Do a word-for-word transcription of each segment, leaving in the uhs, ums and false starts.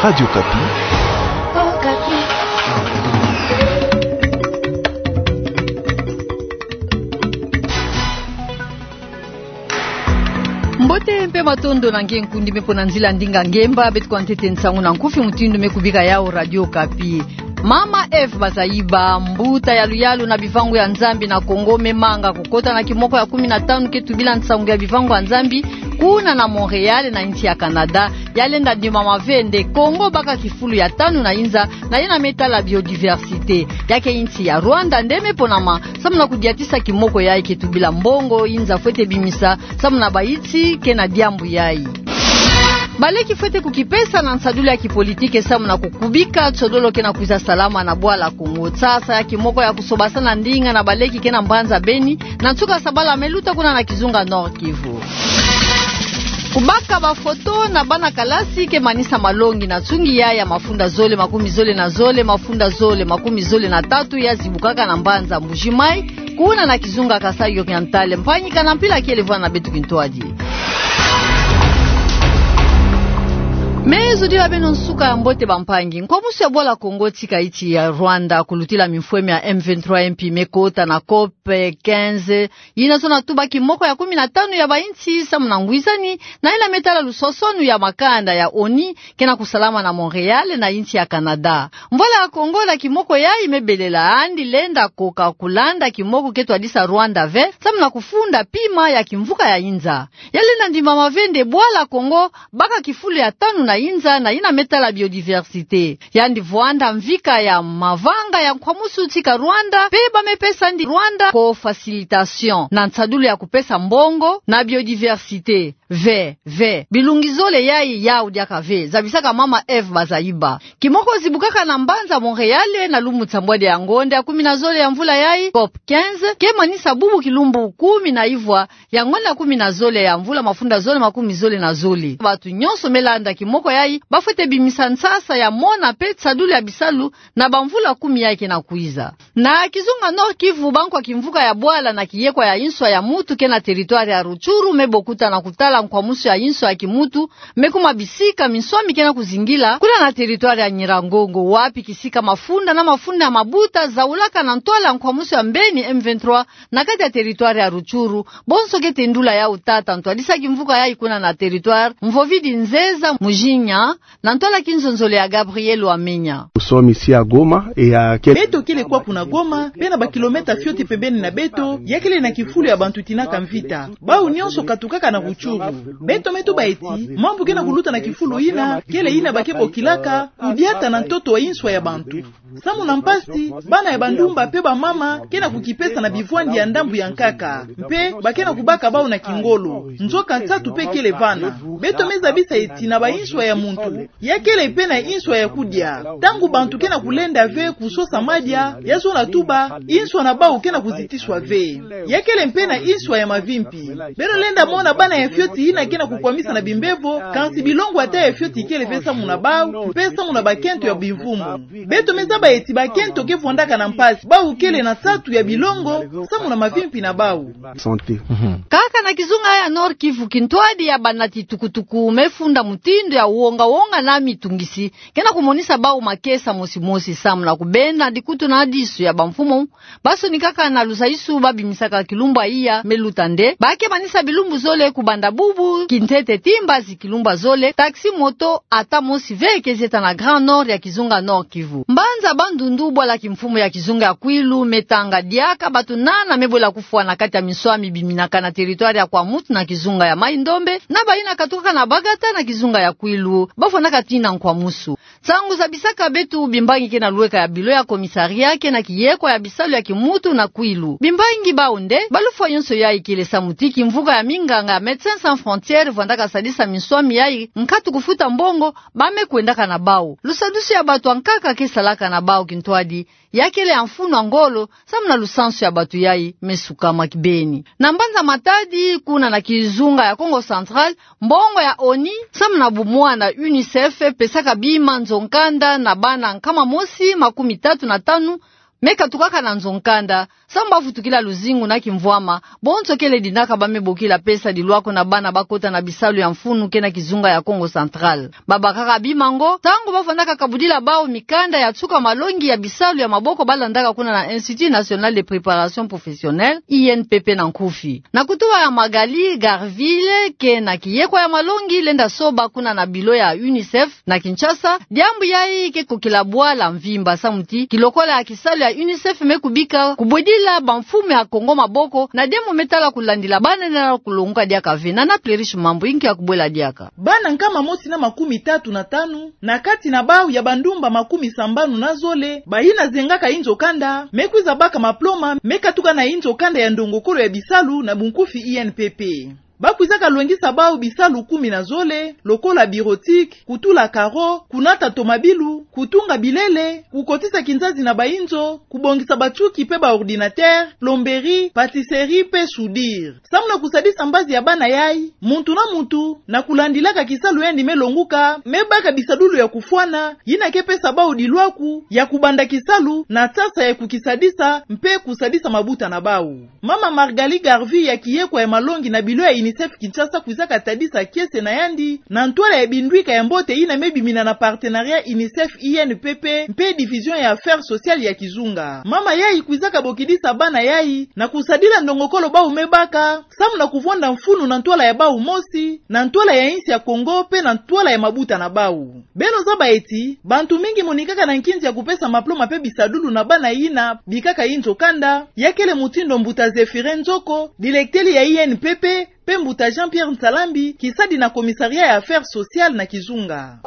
Radio Okapi. Mbote mpe matondo na nge nkundi me pona nzila ndinga ngemba beto kwa ntete nsangu na nkufi mutindu me kubika yawu Radio Okapi. Mama Eve Bazaiba, mbuta ya luyalu na bivangu ya Nzambi na Kongo, me manga kukota na kimoko ya kumi na tanu ke tubila nsangu ya bivangu ya Nzambi kuna na Montréal na insi ya Canada. Ya lenda ndimama ve nde Kongo baka kifulu ya tanu na inza na yina me tala biodiversité. Ya ke insi ya Rwanda nde me ponama samu na kudiatisa kimoko yayi ke tubila mbongo inza fwete bimisa samu na bayinsi ke na diambu yayi. Baleki fwete kukipesa na nsadulu ya kipolitike samu na kukubika tiodolo ke na kwiza salama na bwala Kongo. Sasa ya kimoko ya kusobasana ndinga na baleki ke na mbanza Beni, na nsuka sabala me luta kuna na kizunga Nord-Kivu. Kubaka bafoto na bana kalasi ke manisa malongi na nsungi ya, ya mafunda zole makumi zole na zole, mafunda zole makumi zole na tatu ya zibukaka na mbanza Mbuji-Mayi, kuna na kizunga Kasaï Oriental. Mpangi, kana mpila kele vwanda na beto kintwadi. Me zodila beno nsuka ya mbote bampangi. Nkwamusu ya bwala Kongo tika insi ya Rwanda kulutila mimfweme ya M vingt-trois mpi me kota na COP quinze, yina zona tuba kimoko ya kumi na tanu ya bayinsi samu na ngwizani na yina me tala lusosonu ya makanda ya ONU ke na kusalama na Montréal na insi ya Canada. Mvwala ya Kongo na kimoko yayi me belela, yandi lenda koka kulanda kimoko ke twadisa Rwanda ve samu na kufunda pima ya kimvuka ya inza. Ya lenda ndimama ve nde bwala Kongo baka kifulu ya tanu na inza na yina me tala biodiversité. Yandi vwanda mvika ya mavanga ya nkwamusu tika Rwanda, mpe ba me pesa yandi Rwanda ko facilitation na nsadulu ya kupesa mbongo na biodiversité. Ve, ve, bilungi zole yayi yawu diaka ve, zabisaka mama Eve Bazaiba. Kimoko zibukaka na mbanza Montréal na lumbu nsambwadi ya ngonda ya kumi na zole ya mvula yayi, COP quinze, ke manisa bubu kilumbu kumi na ivwa ya ngonda kumi na zole ya mvula mafunda zole makumi zole na zole. Bato nyonso me landa kimoko yayi bafwete bimisa nsasa ya mona mpe nsadulu ya bisalu na bamvula kumi yayi ke na kwiza. Na kizunga Nord-Kivu, bankwa kimvuka ya bwala na kiyekwa ya inswa ya mutu ke na territoire ya Rutshuru me bokuta na kutala nkwamusu ya inswa ya kimutu me kuma bisika minswami ke na kuzingila, kuna na territoire ya Nyiragongo, wapi kisika mafunda na mafunda ya mabuta zaulaka na ntwala ya nkwamusu ya mbeni M vingt-trois na kati ya territoire ya Rutshuru, bonso ke tendula yawu tata ntwadisa kimvuka yayi kuna na territoire, Mvovidi Nzeza Mujinya, na ntwala kinzonzolo ya Gabriel Wamenya. Nous sommes ici à Goma et à quel... Beto kele kwaku na Goma, mpe na bakilomètre fioti pembeni na beto, ya kele na kifulu ya bantu tinaka mvita. Bawu nyonso katukaka na Rutshuru. Beto me tuba ti mambu ke na kuluta na kifulu yina, kele yina ba ke bokilaka kudiata na ntoto wa inswa ya bantu. Samu na mpasi, bana ya bandumba mpe bamama ke na kukipesa na bivwandi ya ndambu ya nkaka, mpe ba ke na kubaka bawu na kingolo. Nzoka nsatu mpe kele vana. Beto me zabisa ti na bainswa ya muntu, ya kele mpe na inswa ya kudia. Ntangu bantu ke na kulenda ve kusosa madia, ya zona tuba, inswa na bawu ke na kuzitiswa ve. Ya kele mpe na inswa ya mavimpi. Beno lenda mona bana ya fioti yina ke na kukwamisa na bimbevo, kansi bilongo ata ya fioti ikele ve samu na bawu, mpe samu na bakento ya bimvumu. Beto me zaba ti bakento ke vwandaka na mpasi, bawu kele na nsatu ya bilongo samu na mavimpi na bawu. Santé. Mhm. Kaka na kizunga ya Nord-Kivu, kintwadi ya banati tukutuku me funda mutindu ya wonga-wonga na mitungisi ke na kumonisa bawu makesa mosi-mosi samu na kubenda dikutu na disu ya bamfumu. Basonikaka na lusaisu ba bimisaka kilumbu ya iya me luta nde ba ke manisa bilumbu zole kubanda bubu kintete tii mbazi kilumbu zole, taxi, moto, ata mosi ve ke zieta na Grand Nord ya kizunga Nord-Kivu. Mbanza Bandundu, bwala kimfumu ya kizunga ya Kwilu, me tanga diaka bato nana me bwela kufwa na kati ya minswami biminaka na territoire ya Kwamouth na kizunga ya Mai-Ndombe, na bayina katukaka na Bagata na kizunga ya Kwilu, ba vwandaka tii na nkwamusu. Nsangu zabisaka beto bimbangi ke na lweka ya bilo ya commissariat ke na kiyekwa ya bisalu ya kimuntu na Kwilu. Bimbangi bawu nde ba lufwa yonso yayi kele samu ti kimvuka ya minganga ya Médecins Sans Frontières vwandaka sadisa minswami yayi nkatu kufuta mbongo ba me kwendaka na bawu. Lusadusu ya bato ya nkaka ke salaka na bawu kintwadi, ya kele ya mfunu ya ngolo, samu na lusansu ya bato yayi me sukama kibeni. Na mbanza Matadi, kuna na kizunga ya Kongo Central, mbongo ya ONU samu na bumwana, UNICEF, pesaka bima nzo-nkanda na bana nkama mosi makumi tatu na tanu me katukaka na nzo-nkanda, samu ba vutukila luzingu na kimvwama, bonso kele dinaka ba me bokila pesa dilwako na bana ba kota na bisalu ya mfunu ke na kizunga ya Kongo Central. Babakaka bima ngo, ntangu ba fwanaka kabudila bau mikanda ya nsuka malongi ya bisalu ya maboko ba landaka kuna na Institut National de Préparation Professionnelle, I N P P na nkufi. Na kutuba ya Magali Garville, ke na kiyekwa ya malongi lenda soba kuna na bilo ya UNICEF na Kinshasa, diambu yayi ke kokila bwala mvimba samu ti kilokola ya kisalu ya UNICEF me kubika kubwedila bamfumu ya Kongo maboko, na diambu me tala kulandila bana nala kulonguka diaka ve. Nana Plerish Mambu, inki ya kubwela diaka. Bana nkama mosi na makumi tatu na tanu, na kati na bau ya bandumba makumi sambanu na zole, bayina zengaka inzo kanda, me kwiza baka maploma, me katuka na inzo kanda ya ndongokolo ya bisalu, na bunkufi I N P P. Ba kwizaka lwengisa bau bisalu kumi na zole, lokola bureautique, kutula carreaux, kunata tomabilu, kutunga bilele, kukotisa kinzazi na bainzo, kubongisa batioki pe ba ordinateur, plomberie, pâtisserie pe soudure. Samu na kusadisa mbazi ya bana yayi, muntu na muntu, na kulandilaka kisalu yandi me longuka, me baka bisadulu ya kufwana, yina ke pesa bau dilwaku ya kubanda kisalu, na nsasa ya kukisadisa, mpe kusadisa mabuta na bau. Mama Margali Garville ya kiyekwa ya malongi na bilo ya UNICEF Kinshasa kwizaka tadisa kiese na yandi, na ntwala ya bindwika ya mbote yina me bimina na partenariat UNICEF I N P P, mpe division ya affaires sociales ya kizunga. Mama yayi kwizaka bokidisa bana yayi, na kusadila ndongokolo bau me baka, samu na kuvwanda mfunu na ntwala ya bau mosi, na ntwala ya insi ya Kongo, mpe na ntwala ya mabuta na bau. Beno zaba eti, bantu mingi monikaka na nkinzi ya kupesa maploma mpe bisadulu na bana yina bikaka inzo kanda, ya kele mutindu mbuta Zéphirin Nzoko, dilekteli ya I N P P, mpe mbuta Jean-Pierre Nsalambi, kisadi na commissariat ya affaires sociales na kizunga.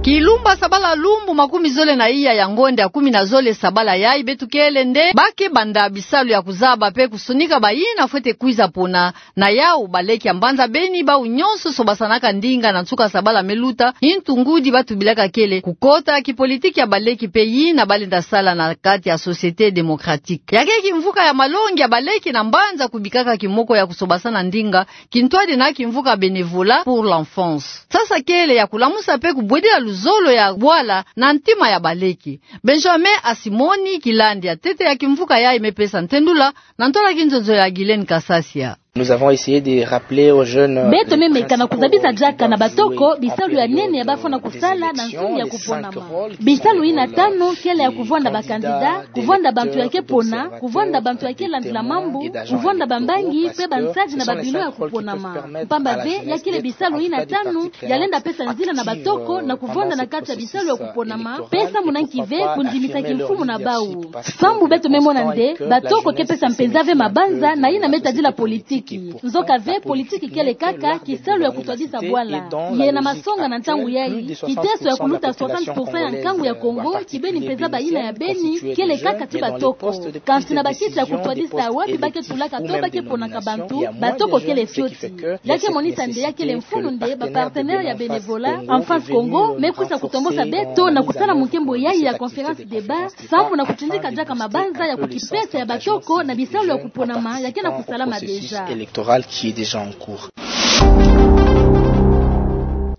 Kilumba sabala lumbu makumi zole na iya ya ngonda ya kumi na zole sabala yayi beto kele nde ba ke banda bisalu ya kuzaba mpe kusonika bayina fwete kwiza pona. Na yau, baleki ya mbanza Beni bau nyonso sobasanaka ndinga na nsuka sabala me luta, ntu ngudi ba tubilaka kele kukota kipolitiki ya baleki mpe yina ba lenda sala na kati ya société démocratique. Ya ke kimvuka ya malongi ya baleki na mbanza kubikaka kimoko ya kusobasana ndinga, kintwadi na kimvuka Bénévolat pour l'enfance. Sasa kele ya kulamusa mpe kubwedila luzolo ya bwala na ntima ya baleki. Benjamin Asimoni, kilandi ya ntete ya kimvuka yayi, me pesa ntendula na ntwala kinzonzo ya Guylaine Kasasia. Nous avons essayé de rappeler aux jeunes, euh, beto me meka na kuzabisa diaka na batoko bisalu ya nene ya ba fwana kusala na nsungi ya kuponama. Bisalu yina tanu kele ya kuvwanda bakandida, kuvwanda bantu ya ke pona, kuvwanda bantu ya ke landila mambu, kuvwanda bambangi mpe bansadi na babilo ya kuponama. Mpamba ze, ya kele bisalu yina tanu ya lenda pesa nzila na batoko na kuvwanda na kati ya bisalu ya kuponama, pesa muna nki ve kundimisa kimfumu na bau. Sambu beto me mona nde batoko ke pesa mpenza ve mabanza na yina me tadila politiki. Nzoka ve, politiki kele kaka kisalu ya kutwadisa bwala. Ye na masonga na ntangu yayi, kiteso ya kuluta soixante pour cent ya nkangu ya Kongo kibeni mpenza bayina ya Beni, kele kaka ti batoko. Kansi na bakisi ya kutwadisa wapi ba ke tulaka to ba ke ponaka bantu, batoko kele fioti. Ya ke monisa nde ya kele mfunu nde ba partenaires ya Bénévolat Enfance Congo me kwisa kutombosa beto na kusala mukembo yayi ya conférence débat, sambu na kutindika diaka mabanza ya kukipesa ya batoko na bisalu ya kuponama ya ke na kusalama déjà.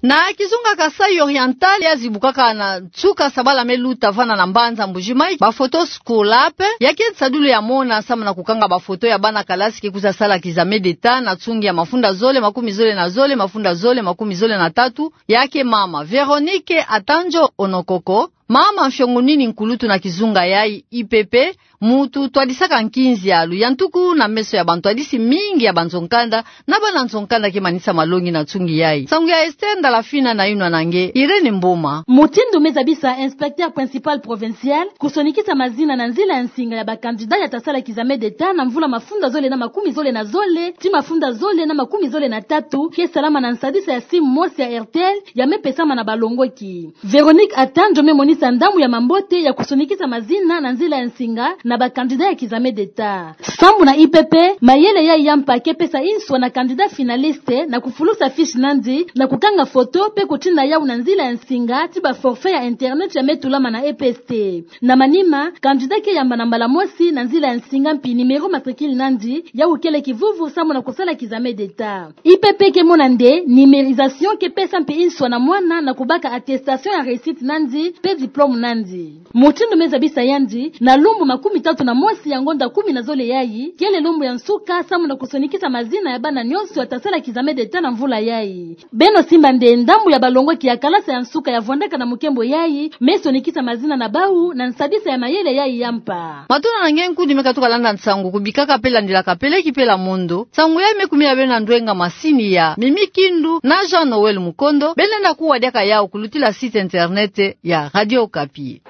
Na kizunga Kasaï Oriental, ya zibukaka na nsuka sabala me luta vana na mbanza Mbuji-Mayi, ba photos scolaires, ya ke nsadulu ya mona sambu na kukanga ba photos ya bana kalasi ke kwiza sala kizame d'État na nsungi ya mafunda zole makumi zole na zole, mafunda zole makumi zole na tatu, ya ke mama Véronique Atanjo Onokoko, mama mfiongunini nkulutu na kizunga yayi I P P, mutu twadisaka nkinzi ya luyantuku na meso ya bantwadisi mingi ya banzo-nkanda, na bana nzo-nkanda ke manisa malongi na nsungi yayi. Nsangu ya Esther Ndalafina na yinwa na nge Irène Mboma. Mutindu me zabisa inspecteur principal provincial kusonikisa mazina na nzila ya nsinga ya ba candidats ya ta sala kizame d'État na mvula mafunda zole na makumi zole na zole ti mafunda zole na makumi zole na tatu, ke salama na nsadisa ya simu mosi ya R T L, ya me pesama na balongoki. Véronique Atanjo me monisa ndambu ya mambote ya kusonikisa mazina na nzila ya nsinga na ba candidats ya kizame d'État. Sambu na I P P, mayele yayi ya mpa ke pesa inswa na candidat finaliste na kufulusa fiche na yandi, na kukanga photo mpe kutina yau na nzila ya nsinga ti ba forfait ya internet ya me tulama na E P S T. Na manima, candidat ke yamba na mbala mosi na nzila ya nsinga mpi numéro matricule na yandi, yau kele kivuvu sambu na kusala kizame d'État. I P P ke mona nde numérisation ke pesa mpi inswa na mwana na kubaka attestation ya réussite na yandi, mpe Plomo nandi. Mutindu me zabisa yandi, na lumbu makumi tatu na mosi ya ngonda kumi na zole yayi, kele lumbu ya nsuka samu na kusonikisa mazina ya bana nyonso ya tasala kizame d'Etat na mvula yayi. Beno simba nde ndambu ya balongwaki ya kalasa ya nsuka ya vwandaka na mukembo yayi, me sonikisa mazina na bau na nsadisa ya mayele yayi ya mpa. Matuna na nge nkundi me katuka landa nsangu kubikaka pe landilaka peleki pela mondo. Nsangu yayi me kumina beno na ndwenga masini ya Mimi Kindu na Jean Noël Mukondo, beno lenda kuwa diaka yawu kulutila site internet ya Radio Okapi.